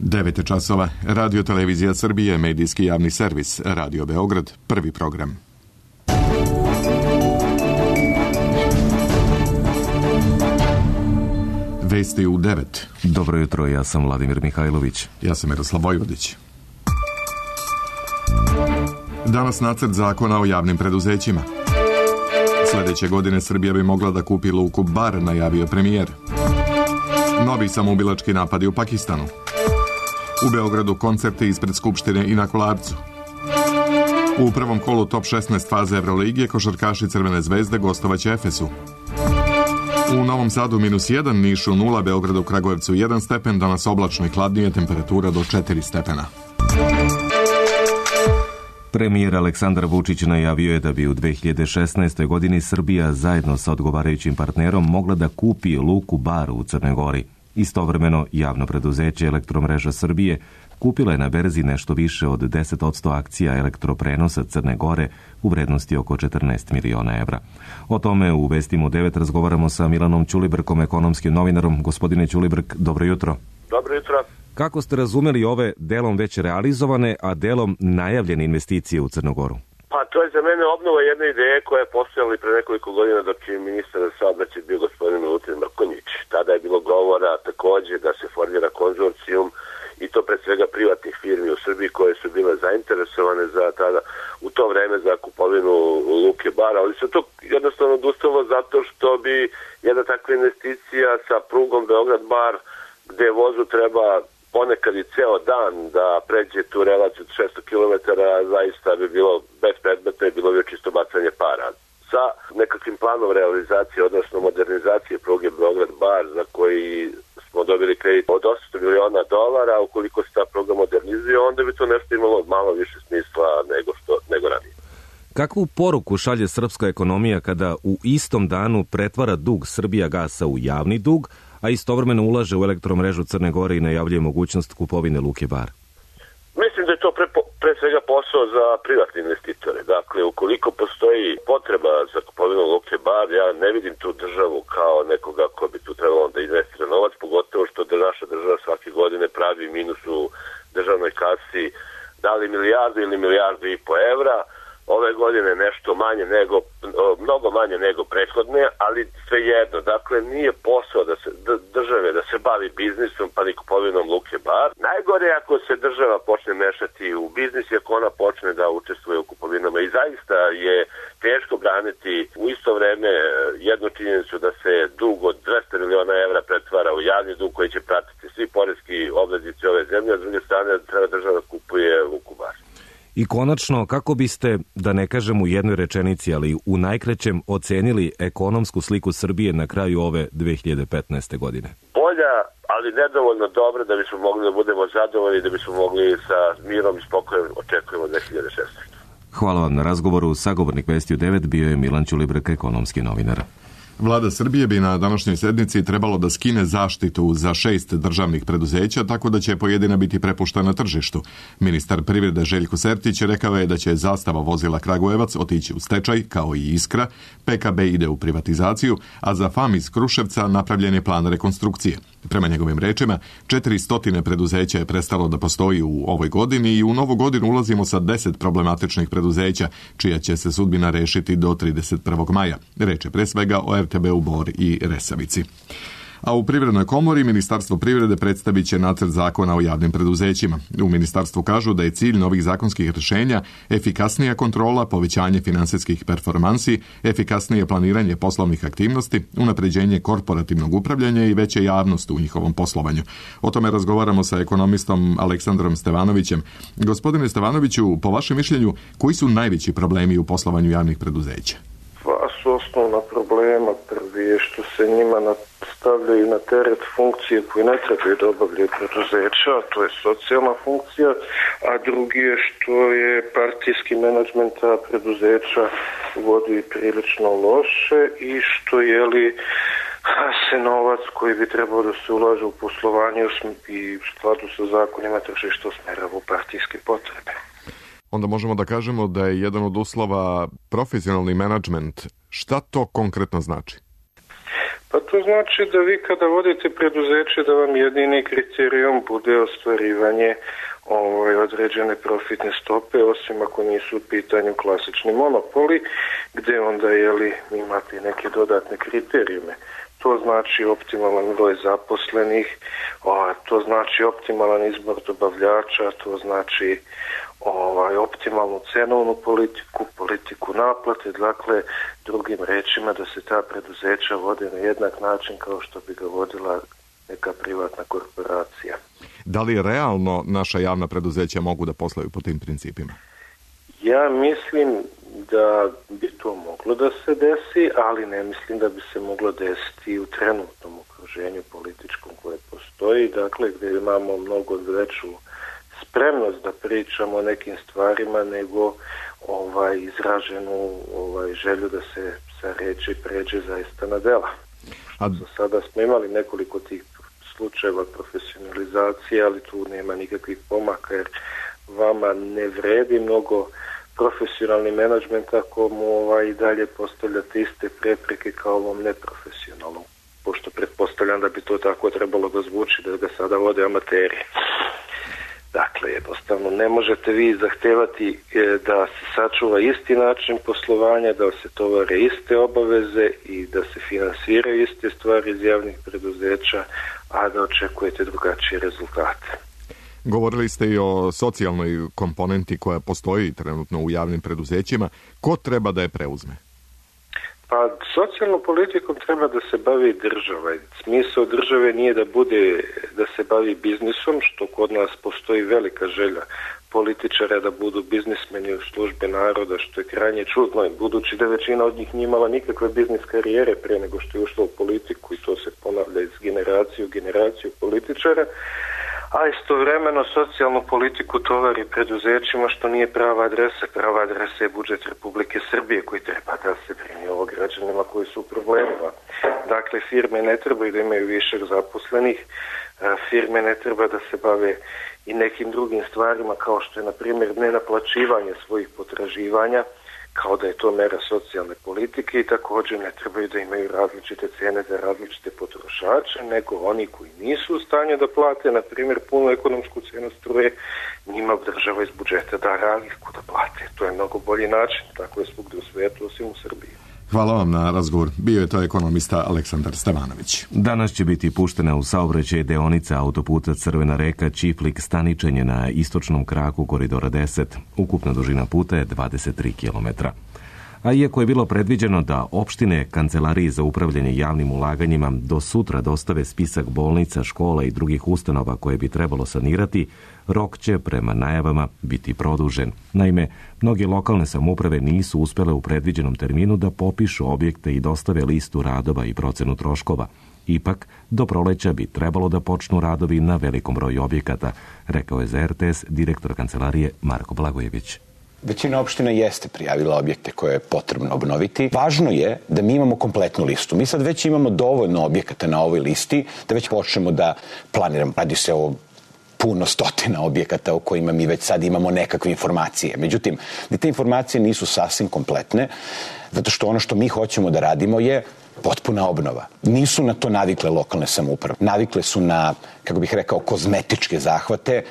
9 časova. Radio Televizija Srbije, medijski javni servis, Radio Beograd, prvi program. Vesti u 9. Dobro jutro, ja sam Vladimir Mihajlović. Ja sam Miroslav Vojvodić. Danas nacrt zakona o javnim preduzećima. Sljedeće godine Srbija bi mogla da kupi luku Bar, najavio premijer. Novi samoubilački napadi u Pakistanu. U Beogradu koncerti ispred Skupštine i na Kolarcu. U prvom kolu top 16 faze Evroligije košarkaši Crvene zvezde gostovaće Efesu. U Novom Sadu -1, Nišu 0, Beogradu, Kragujevcu 1 stepen, danas oblačno i hladnije, temperatura do 4 stepena. Premijer Aleksandar Vučić najavio je da bi u 2016. godini Srbija zajedno sa odgovarajućim partnerom mogla da kupi luku Bar u Crnoj Gori. Istovremeno, javno preduzeće Elektromreža Srbije kupila je na berzi nešto više od 10% akcija elektroprenosa Crne Gore u vrednosti oko 14 miliona evra. O tome u Vestima u 9 razgovaramo sa Milanom Ćulibrkom, ekonomskim novinarom. Gospodine Ćulibrk, dobro jutro. Dobro jutro. Kako ste razumeli ove delom već realizovane, a delom najavljene investicije u Crnu Goru? Pa to je za mene obnova jedne ideje koja je postojala i pre nekoliko godina dok je ministar za saobraćaj bio gospodin Milutin Mrkonjić. Tada je bilo govora takođe da se formira konzorcijum i to pre svega privatnih firmi u Srbiji koje su bile zainteresovane za tada u to vreme za kupovinu luke Bar, ali se to jednostavno odustalo zato što bi jedna takva investicija sa prugom Beograd-Bar, gde vozu treba ponekad i ceo dan da pređe tu relaciju 600 km, zaista bi bilo bespredmetno i bilo bi čisto bacanje para. Sa nekakvim planom realizacije, odnosno modernizacije pruge Beograd-Bar, za koji smo dobili kredit od $800 miliona, ukoliko se ta pruga modernizuje, onda bi to nešto imalo malo više smisla nego ranije. Kakvu poruku šalje srpska ekonomija kada u istom danu pretvara dug Srbijagasa u javni dug, a istovremeno ulaže u elektromrežu Crne Gore i najavljuje mogućnost kupovine luke Bar? Mislim da je to pre svega posao za privatne investitore. Dakle, ukoliko postoji potreba za kupovinu luke Bar, ja ne vidim tu državu kao nekoga ko bi tu trebalo da investira novac, pogotovo što naša država svake godine pravi minus u državnoj kasi, da li milijardu ili milijardu i po evra. Ove godine nešto manje mnogo manje nego prethodne, ali svejedno. Dakle, nije posao države da se bavi biznisom pa ni kupovinom luke Bar. Najgore je ako se država počne mešati u biznis i ako ona počne da učestvuje u kupovinama. I zaista je teško braniti u isto vreme jednu činjenicu da se dug od 200 miliona evra pretvara u javni dug koji će pratiti svi poreski obveznici ove zemlje, a s druge strane treba država da kupuje luku Bar. I konačno, kako biste, da ne kažem u jednoj rečenici, ali u najkraćem ocenili ekonomsku sliku Srbije na kraju ove 2015. godine? Bolja, ali nedovoljno dobra da bismo mogli da budemo zadovoljni, da bismo mogli sa mirom i spokojem očekujemo 2016. Hvala vam na razgovoru. Sagovornik Vesti u 9 bio je Milan Ćulibrk, ekonomski novinar. Vlada Srbije bi na današnjoj sednici trebalo da skine zaštitu za 6 državnih preduzeća, tako da će pojedina biti prepuštena tržištu. Ministar privrede Željko Sertić rekao je da će Zastava vozila Kragujevac otići u stečaj, kao i Iskra, PKB ide u privatizaciju, a za FAM iz Kruševca napravljen je plan rekonstrukcije. Prema njegovim rečima, 400 preduzeća je prestalo da postoji u ovoj godini i u novu godinu ulazimo sa 10 problematičnih preduzeća, čija će se sudbina rešiti do 31. maja. Reč je pre svega o RTB-u Bor i Resavici. A u Privrednoj komori Ministarstvo privrede predstavit će nacrt zakona o javnim preduzećima. U ministarstvu kažu da je cilj novih zakonskih rješenja efikasnija kontrola, povećanje finansijskih performansi, efikasnije planiranje poslovnih aktivnosti, unapređenje korporativnog upravljanja i veće javnost u njihovom poslovanju. O tome razgovaramo sa ekonomistom Aleksandrom Stevanovićem. Gospodine Stevanoviću, po vašem mišljenju, koji su najveći problemi u poslovanju javnih preduzeća? Dva su osnovna problema. Prvi je što se njima stavljaju na teret funkcije koje ne trebaju da obavljaju preduzeća, to je socijalna funkcija, a drugi je što je partijski menadžment preduzeća vodi prilično loše i što se novac koji bi trebao da se ulaže u poslovanje i u skladu sa zakonima tržišta usmerava u partijske potrebe. Onda možemo da kažemo da je jedan od uslova profesionalni menadžment. Šta to konkretno znači? Pa to znači da vi kada vodite preduzeće da vam jedini kriterijum bude ostvarivanje određene profitne stope, osim ako nisu u pitanju klasični monopoli, gde onda imate neke dodatne kriterijume. To znači optimalan broj zaposlenih, to znači optimalan izbor dobavljača, to znači optimalnu cenovnu politiku naplate, dakle drugim rečima da se ta preduzeća vode na jednak način kao što bi ga vodila neka privatna korporacija. Da li realno naša javna preduzeća mogu da posluju po tim principima? Ja mislim da bi to moglo da se desi, ali ne mislim da bi se moglo desiti u trenutnom okruženju političkom koje postoji, dakle gdje imamo mnogo veću spremnost da pričamo o nekim stvarima nego izraženu želju da se sa reči pređe zaista na dela. Sada smo imali nekoliko tih slučajeva profesionalizacije, ali tu nema nikakvih pomaka jer vama ne vredi mnogo profesionalni menadžment ako mu i dalje postavljate iste prepreke kao ovom neprofesionalnom, pošto pretpostavljam da bi to tako trebalo da zvuči da ga sada vode amateri. Dakle, jednostavno ne možete vi zahtevati da se sačuva isti način poslovanja, da se tovare iste obaveze i da se finansiraju iste stvari iz javnih preduzeća, a da očekujete drugačije rezultate. Govorili ste i o socijalnoj komponenti koja postoji trenutno u javnim preduzećima. Ko treba da je preuzme? Pa socijalnom politikom treba da se bavi država. Smisao države nije da se bavi biznisom, što kod nas postoji velika želja političara da budu biznismeni u službi naroda, što je krajnje čudno, budući da većina od njih nije imala nikakve biznis karijere pre nego što je ušla u politiku i to se ponavlja iz generacije u generaciju političara. A istovremeno socijalnu politiku tovari preduzećima što nije prava adresa. Prava adresa je budžet Republike Srbije koji treba da se brine o građanima koji su u problemima. Dakle, firme ne trebaju da imaju višak zaposlenih, firme ne treba da se bave i nekim drugim stvarima kao što je, na primjer, nenaplaćivanje svojih potraživanja, kao da je to mera socijalne politike i također ne trebaju da imaju različite cene za različite potrošače, nego oni koji nisu u stanju da plate, na primjer, punu ekonomsku cenu struje, njima država iz budžeta da razliku da plate. To je mnogo bolji način, tako je svugdje u svijetu, osim u Srbiji. Hvala vam na razgovor. Bio je to ekonomista Aleksandar Stevanović. Danas će biti puštena u saobraćaj deonica autoputa Crvena reka Ćiplik-Staničenje na istočnom kraku koridora 10. Ukupna dužina puta je 23 km. A iako je bilo predviđeno da opštine Kancelariji za upravljanje javnim ulaganjima do sutra dostave spisak bolnica, škola i drugih ustanova koje bi trebalo sanirati, rok će prema najavama biti produžen. Naime, mnoge lokalne samouprave nisu uspjele u predviđenom terminu da popišu objekte i dostave listu radova i procenu troškova. Ipak, do proleća bi trebalo da počnu radovi na velikom broju objekata, rekao je za RTS direktor Kancelarije Marko Blagojević. Većina opština jeste prijavila objekte koje je potrebno obnoviti. Važno je da mi imamo kompletnu listu. Mi sad već imamo dovoljno objekata na ovoj listi da već počnemo da planiramo. Radi se o puno stotina objekata o kojima mi već sad imamo nekakve informacije. Međutim, te informacije nisu sasvim kompletne, zato što ono što mi hoćemo da radimo je potpuna obnova. Nisu na to navikle lokalne samouprave. Navikle su na, kako bih rekao, kozmetičke zahvate.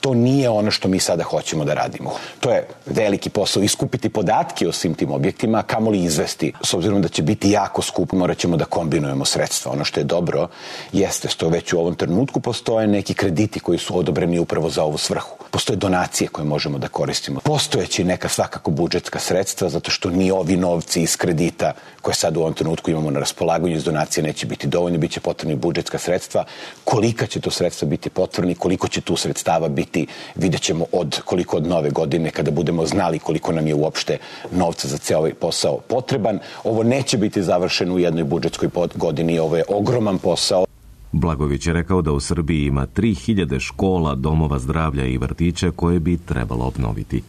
To nije ono što mi sada hoćemo da radimo. To je veliki posao, iskupiti podatke o svim tim objektima, a kamoli izvesti. S obzirom da će biti jako skupo, morat ćemo da kombinujemo sredstva. Ono što je dobro jeste što već u ovom trenutku postoje neki krediti koji su odobreni upravo za ovu svrhu. Postoje donacije koje možemo da koristimo. Postojeći neka svakako budžetska sredstva, zato što ni ovi novci iz kredita koje sad u ovom trenutku imamo na raspolaganju iz donacije neće biti dovoljno, bit će potrebni budžetska sredstva. Kolika će to sredstva biti potrebni, koliko će tu sredstava biti, vidjet ćemo koliko od nove godine kada budemo znali koliko nam je uopšte novca za ceo ovaj posao potreban. Ovo neće biti završeno u jednoj budžetskoj godini, ovo je ogroman posao. Blagović je rekao da u Srbiji ima 3000 škola, domova zdravlja i vrtića koje bi trebalo obnoviti.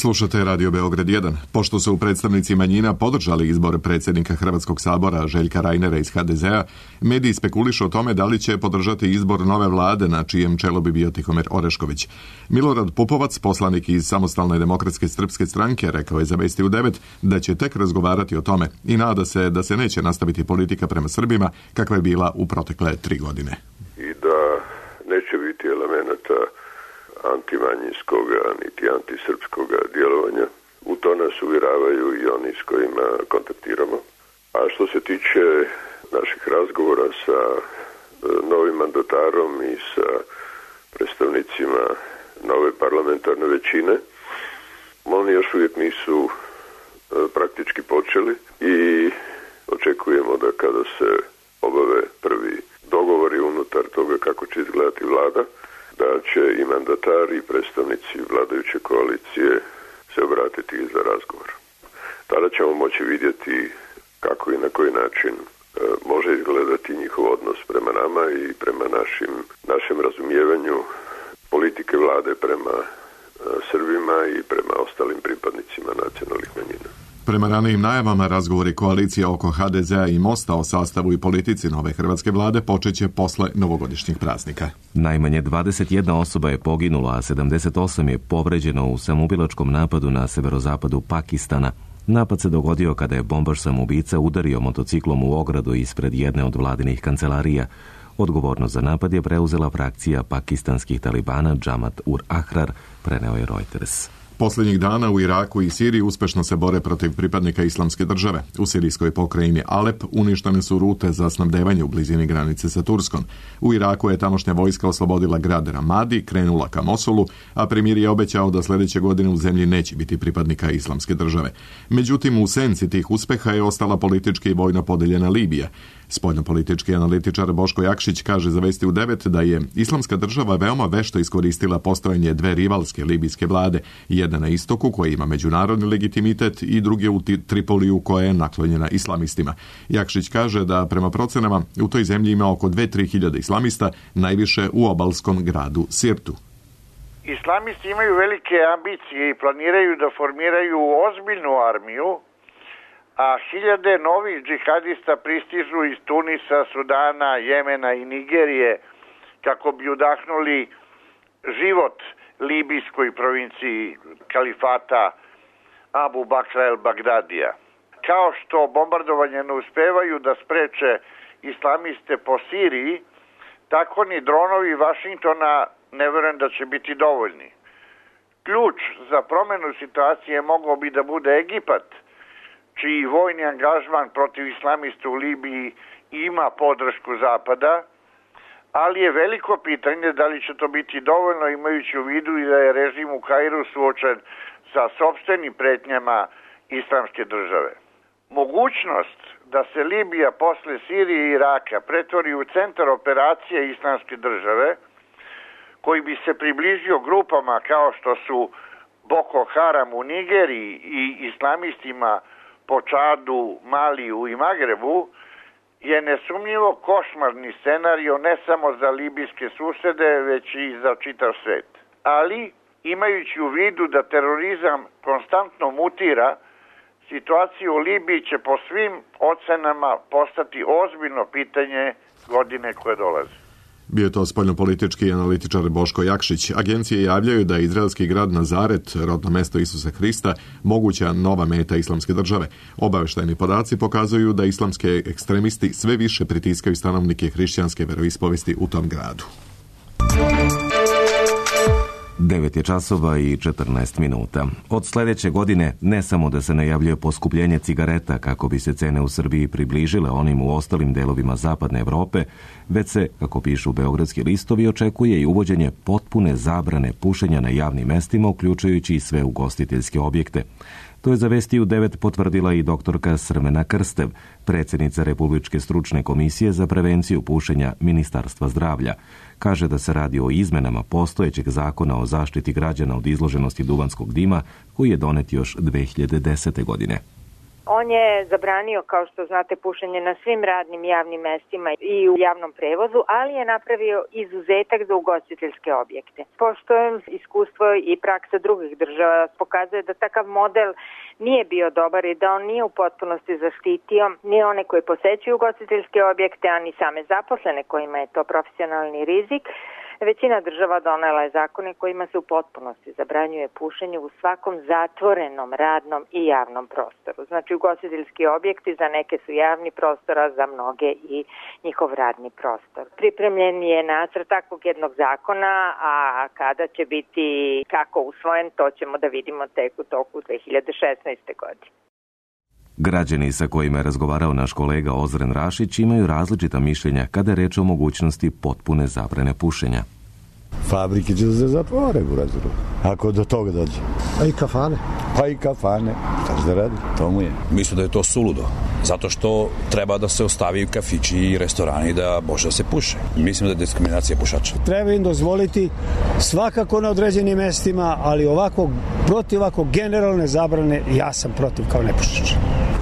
Slušate Radio Beograd 1. Pošto su predstavnici manjina podržali izbor predsjednika Hrvatskog sabora Željka Reinera iz HDZ-a, mediji spekulišu o tome da li će podržati izbor nove vlade na čijem čelu bi bio Tihomir Orešković. Milorad Pupovac, poslanik iz Samostalne demokratske srpske stranke, rekao je za Vesti u 9 da će tek razgovarati o tome i nada se da se neće nastaviti politika prema Srbima kakva je bila u protekle 3 godine. I da neće biti elemenata antimanjinskoga niti antisrpskoga djelovanja. U to nas uvjeravaju i oni s kojima kontaktiramo. A što se tiče naših razgovora sa novim mandatarom i sa predstavnicima nove parlamentarne većine, oni još uvijek nisu praktički počeli i očekujemo da kada se obave prvi dogovori unutar toga kako će izgledati vlada, da će i mandatari i predstavnici vladajuće koalicije se obratiti za razgovor. Tada ćemo moći vidjeti kako i na koji način može izgledati njihov odnos prema nama i prema našem razumijevanju politike vlade prema Srbima i prema ostalim pripadnicima nacionalnih manjina. Prema ranijim najavama, razgovori koalicije oko HDZ-a i Mosta o sastavu i politici nove hrvatske vlade počeće posle novogodišnjih praznika. Najmanje 21 osoba je poginula, a 78 je povređeno u samoubilačkom napadu na severozapadu Pakistana. Napad se dogodio kada je bombaš samoubica udario motociklom u ogradu ispred jedne od vladinih kancelarija. Odgovornost za napad je preuzela frakcija pakistanskih talibana Jamaat ul Ahrar, preneo je Reuters. Posljednjih dana u Iraku i Siriji uspješno se bore protiv pripadnika Islamske države. U sirijskoj pokrajini Alep uništene su rute za snabdevanje u blizini granice sa Turskom. U Iraku je tamošnja vojska oslobodila grad Ramadi, krenula ka Mosulu, a premijer je obećao da sljedeće godine u zemlji neće biti pripadnika Islamske države. Međutim, u senci tih uspjeha je ostala politički i vojno podeljena Libija. Spoljnopolitički analitičar Boško Jakšić kaže za Vesti u 9 da je Islamska država veoma vešto iskoristila postojanje dve rivalske libijske vlade, jedna na istoku koja ima međunarodni legitimitet i druge u Tripoliju koja je naklonjena islamistima. Jakšić kaže da prema procenama u toj zemlji ima oko 2-3 hiljade islamista, najviše u obalskom gradu Sirtu. Islamisti imaju velike ambicije i planiraju da formiraju ozbiljnu armiju, a hiljade novih džihadista pristižu iz Tunisa, Sudana, Jemena i Nigerije kako bi udahnuli život libijskoj provinciji kalifata Abu Bakra el-Bagdadija. Kao što bombardovanje ne uspevaju da spreče islamiste po Siriji, tako ni dronovi Vašingtona ne verujem da će biti dovoljni. Ključ za promjenu situacije mogao bi da bude Egipat, čiji vojni angažman protiv islamista u Libiji ima podršku Zapada, ali je veliko pitanje da li će to biti dovoljno imajući u vidu i da je režim u Kairu suočen sa sopstvenim pretnjama islamske države. Mogućnost da se Libija posle Sirije i Iraka pretvori u centar operacije islamske države, koji bi se približio grupama kao što su Boko Haram u Nigeriji i islamistima po Čadu, Maliju i Magrebu, je nesumnjivo košmarni scenario ne samo za libijske susede, već i za čitav svet. Ali, imajući u vidu da terorizam konstantno mutira, situacija u Libiji će po svim ocenama postati ozbiljno pitanje godine koje dolaze. Bio je to spoljnopolitički analitičar Boško Jakšić. Agencije javljaju da je izraelski grad Nazaret, rodno mesto Isusa Hrista, moguća nova meta islamske države. Obavještajni podaci pokazuju da islamske ekstremisti sve više pritiskaju stanovnike hrišćanske veroispovesti u tom gradu. 9 je časova i 14 minuta. Od sljedeće godine ne samo da se najavljuje poskupljenje cigareta kako bi se cene u Srbiji približile onim u ostalim delovima zapadne Evrope, već se, kako pišu beogradski listovi, očekuje i uvođenje potpune zabrane pušenja na javnim mestima, uključujući i sve ugostiteljske objekte. To je za Vesti u 9 potvrdila i doktorka Srmena Krstev, predsjednica Republičke stručne komisije za prevenciju pušenja Ministarstva zdravlja. Kaže da se radi o izmenama postojećeg zakona o zaštiti građana od izloženosti duvanskog dima, koji je donet još 2010. godine. On je zabranio, kao što znate, pušenje na svim radnim javnim mestima i u javnom prevozu, ali je napravio izuzetak za ugostiteljske objekte. Pošto iskustvo i praksa drugih država pokazuje da takav model nije bio dobar i da on nije u potpunosti zaštitio ni one koji posećuju ugostiteljske objekte, a ni same zaposlene kojima je to profesionalni rizik, većina država donela je zakone kojima se u potpunosti zabranjuje pušenje u svakom zatvorenom, radnom i javnom prostoru. Znači, ugostiteljski objekti za neke su javni prostor, a za mnoge i njihov radni prostor. Pripremljen je nacrt takvog jednog zakona, a kada će biti kako usvojen, to ćemo da vidimo tek u toku 2016. godine. Građani sa kojima je razgovarao naš kolega Ozren Rašić imaju različita mišljenja kada je reč o mogućnosti potpune zabrane pušenja. Fabrike će da se zatvore u razlogu, ako do toga dođe. Pa i kafane. Pa i kafane. Šta će da radi? To mu je. Mislim da je to suludo. Zato što treba da se ostavi kafići i restorani da može da se puše. Mislim da je diskriminacija pušača. Treba im dozvoliti svakako na određenim mestima, ali protiv ovako generalne zabrane ja sam protiv kao nepušač.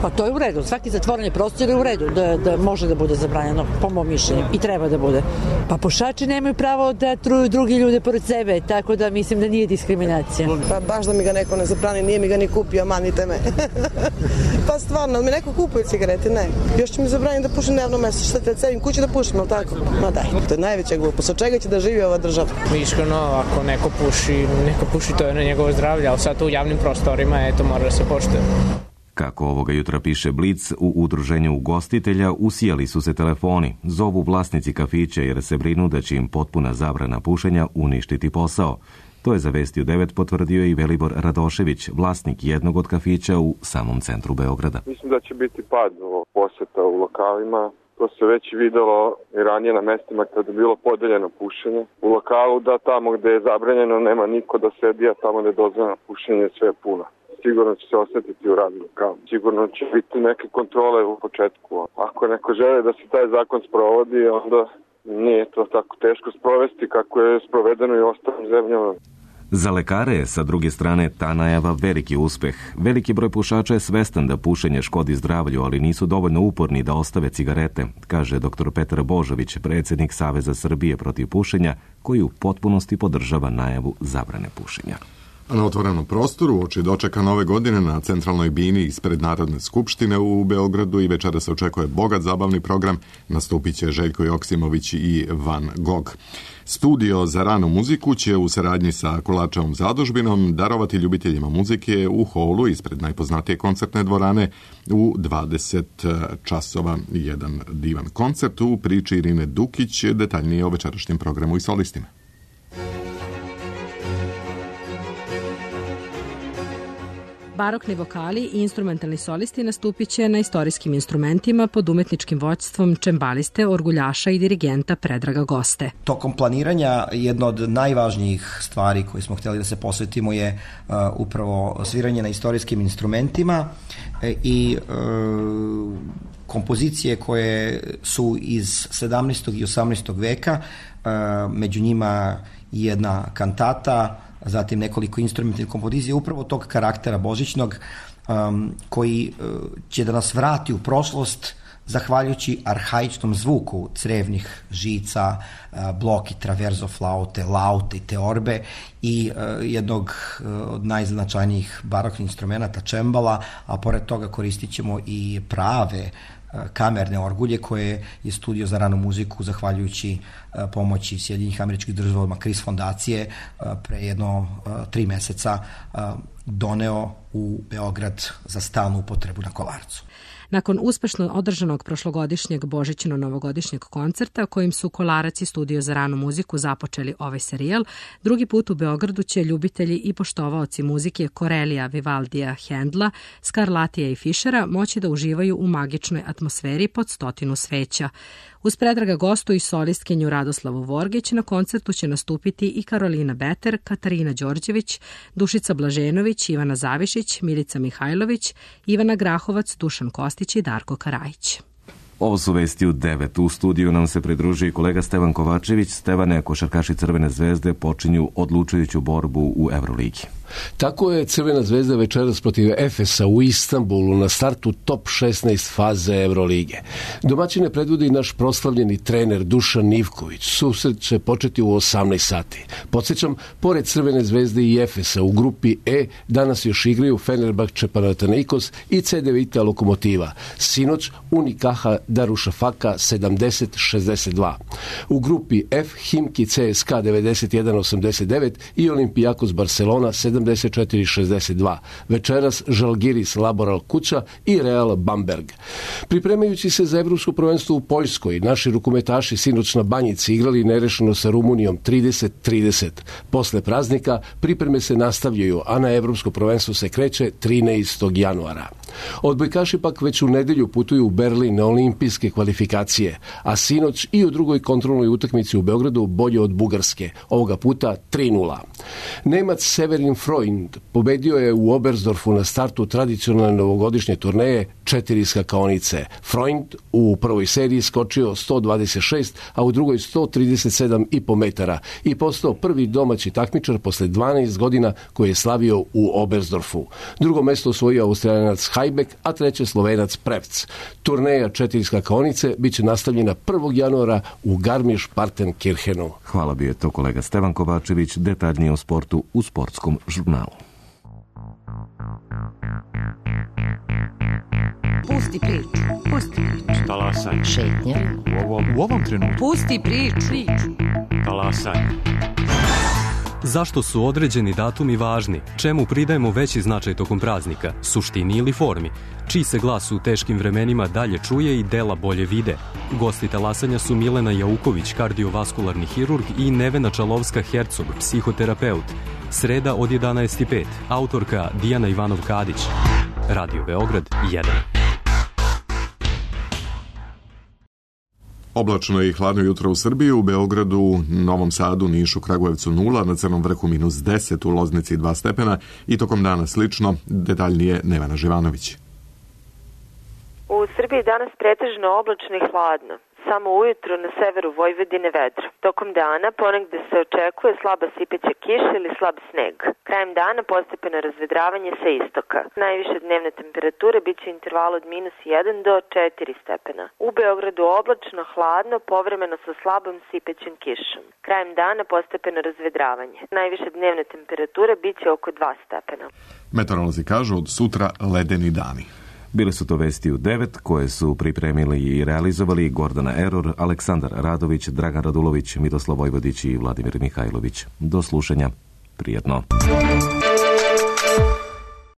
Pa to je u redu. Svaki zatvoreni prostor je u redu da može da bude zabranjeno, po mom mišljenju. I treba da bude. Pa pušači nemaju pravo da truju drugi ljude pored sebe, tako da mislim da nije diskriminacija. Pa baš da mi ga neko ne zabrani, nije mi ga ni kupio, manite me. Pa stvarno, mi neko kupuje cigarete, ne. Još će mi zabraniti da pušim na javnom mestu. Šta te cevim kući da pušim, ali tako? Ma daj, to je najveća glupost. Od čega će da živi ova država? Iskreno, ako neko puši, to je na njegovo zdravlje, ali sad u javnim prostorima, to mora da se poštuje. Kako ovoga jutra piše Blic, u udruženju ugostitelja usijali su se telefoni. Zovu vlasnici kafića jer se brinu da će im potpuna zabrana pušenja uništiti posao. To je za Vesti u 9 potvrdio i Velibor Radošević, vlasnik jednog od kafića u samom centru Beograda. Mislim da će biti pad poseta u lokalima. To se već videlo i ranije na mestima kada je bilo podeljeno pušenje. U lokalu da tamo gde je zabranjeno nema niko da sedi, a tamo gde je dozvoljeno pušenje sve je puno. Sigurno će se osjetiti u radnom lokalu. Sigurno će biti neke kontrole u početku. Ako neko žele da se taj zakon sprovodi, onda nije to tako teško sprovesti kako je sprovedeno i ostalim zemljama. Za lekare je, sa druge strane, ta najava veliki uspeh. Veliki broj pušača je svestan da pušenje škodi zdravlju, ali nisu dovoljno uporni da ostave cigarete, kaže dr. Petar Božović, predsjednik Saveza Srbije protiv pušenja, koji u potpunosti podržava najavu zabrane pušenja. A na otvorenom prostoru uoči dočeka nove godine na centralnoj bini ispred Narodne skupštine u Beogradu i večera se očekuje bogat zabavni program. Nastupit će Željko Joksimović i Van Gogh. Studio za ranu muziku će u saradnji sa Kolačevom zadužbinom darovati ljubiteljima muzike u holu ispred najpoznatije koncertne dvorane u 20 časova. Jedan divan koncert u priči Irine Dukić, detaljnije o večerašnjem programu i solistima. Barokni vokali i instrumentalni solisti nastupit će na istorijskim instrumentima pod umetničkim vođstvom čembaliste, orguljaša i dirigenta Predraga Goste. Tokom planiranja jedna od najvažnijih stvari koje smo htjeli da se posvetimo je upravo sviranje na istorijskim instrumentima i kompozicije koje su iz 17. i 18. veka, među njima jedna kantata, zatim nekoliko instrumentalnih kompozicija upravo tog karaktera božićnog koji će da nas vrati u prošlost zahvaljujući arhaičnom zvuku crevnih žica, bloki, traverzo flaute, laute i teorbe i jednog od najznačajnijih baroknih instrumenta čembala, a pored toga koristit ćemo i prave kamerne orgulje koje je Studio za ranu muziku zahvaljujući pomoći Sjedinjenih Američkih Država Kris fondacije pre jedno 3 meseca doneo u Beograd za stalnu upotrebu na Kolarcu. Nakon uspešno održanog prošlogodišnjeg božićno-novogodišnjeg koncerta kojim su Kolarac i Studio za ranu muziku započeli ovaj serijal, drugi put u Beogradu će ljubitelji i poštovaoci muzike Corelija, Vivaldija, Hendla, Scarlattija i Fischera moći da uživaju u magičnoj atmosferi pod 100 sveća. Uz Predraga Gostu i solistkinju Radoslavu Vorgić na koncertu će nastupiti i Karolina Beter, Katarina Đorđević, Dušica Blaženović, Ivana Zavišić, Milica Mihajlović, Ivana Grahovac, Dušan Kostić i Darko Karajić. Ovo su Vesti u 9. U studiju nam se pridružio kolega Stevan Kovačević. Stevane, košarkaši Crvene zvezde počinju odlučujuću borbu u Euroligi. Tako je Crvena zvezda večeras protiv Efesa u Istanbulu na startu top 16 faze Evrolige. Domaćine predvodi naš proslavljeni trener Dušan Ivković. Susret će početi u 18 sati. Podsjećam, pored Crvene zvezde i Efesa u grupi E danas još igraju Fenerbahče Panathinaikos i CD Vita Lokomotiva. Sinoć Unikaha Darušafaka 70-62. U grupi F Himki CSKA 91-89 i Olimpijakos Barcelona 74-62. Večeras Žalgiris Laboral Kuća i Real Bamberg. Pripremajući se za evropsko prvenstvo u Poljskoj, naši rukometaši sinoć na Banjici igrali nerešeno sa Rumunijom 30-30. Posle praznika pripreme se nastavljaju, a na evropsko prvenstvo se kreće 13. januara. Odbojkaši pak već u nedelju putuju u Berlin na olimpijske kvalifikacije, a sinoć i u drugoj kontrolnoj utakmici u Beogradu bolje od Bugarske, ovoga puta 3-0. Nemac Severin Freund pobedio je u Oberstdorfu na startu tradicionalne novogodišnje turneje 4 skakaonice. Freund u prvoj seriji skočio 126, a u drugoj 137,5 metara i postao prvi domaći takmičar posle 12 godina koji je slavio u Oberstdorfu. Drugo mesto osvojio Australijanac Hajbek, a treće Slovenac Prevc. Turneja 4 skakaonice biće nastavljena 1. januara u Garmisch-Partenkirchenu. Hvala, bio je to kolega Stevan Kovačević, detaljnije o sportu u Sportskom žurnalu. Pusti priču. Pusti priču. Talasaj. Šetnja. U ovom trenutku. Pusti priču. Talasaj. Zašto su određeni datumi važni? Čemu pridajemo veći značaj tokom praznika? Suštini ili formi? Čiji se glas u teškim vremenima dalje čuje i dela bolje vide? Gosti talasanja su Milena Jauković, kardiovaskularni hirurg, i Nevena Čalovska-Hercog, psihoterapeut. Sreda od 11:05. Autorka Dijana Ivanov-Kadić. Radio Beograd 1. Oblačno i hladno jutro u Srbiji, u Beogradu, Novom Sadu, Nišu, Kragujevcu 0, na Crnom vrhu -10, u Loznici 2 stepena i tokom dana slično, detaljnije Nevena Živanović. U Srbiji danas pretežno oblačno i hladno. Samo ujutru na severu Vojvodine vedro. Tokom dana ponegde se očekuje slaba sipeća kiša ili slab sneg. Krajem dana postepeno razvedravanje sa istoka. Najviše dnevne temperature biće interval od -1 do 4 stepena. U Beogradu oblačno, hladno, povremeno sa slabom sipećem kišom. Krajem dana postepeno razvedravanje. Najviše dnevne temperature biće oko 2 stepena. Meteorolozi kažu od sutra ledeni dani. Bile su to vesti u 9 koje su pripremili i realizovali Gordana Eror, Aleksandar Radović, Dragan Radulović, Miroslav Vojvodić i Vladimir Mihajlović. Do slušanja. Prijetno.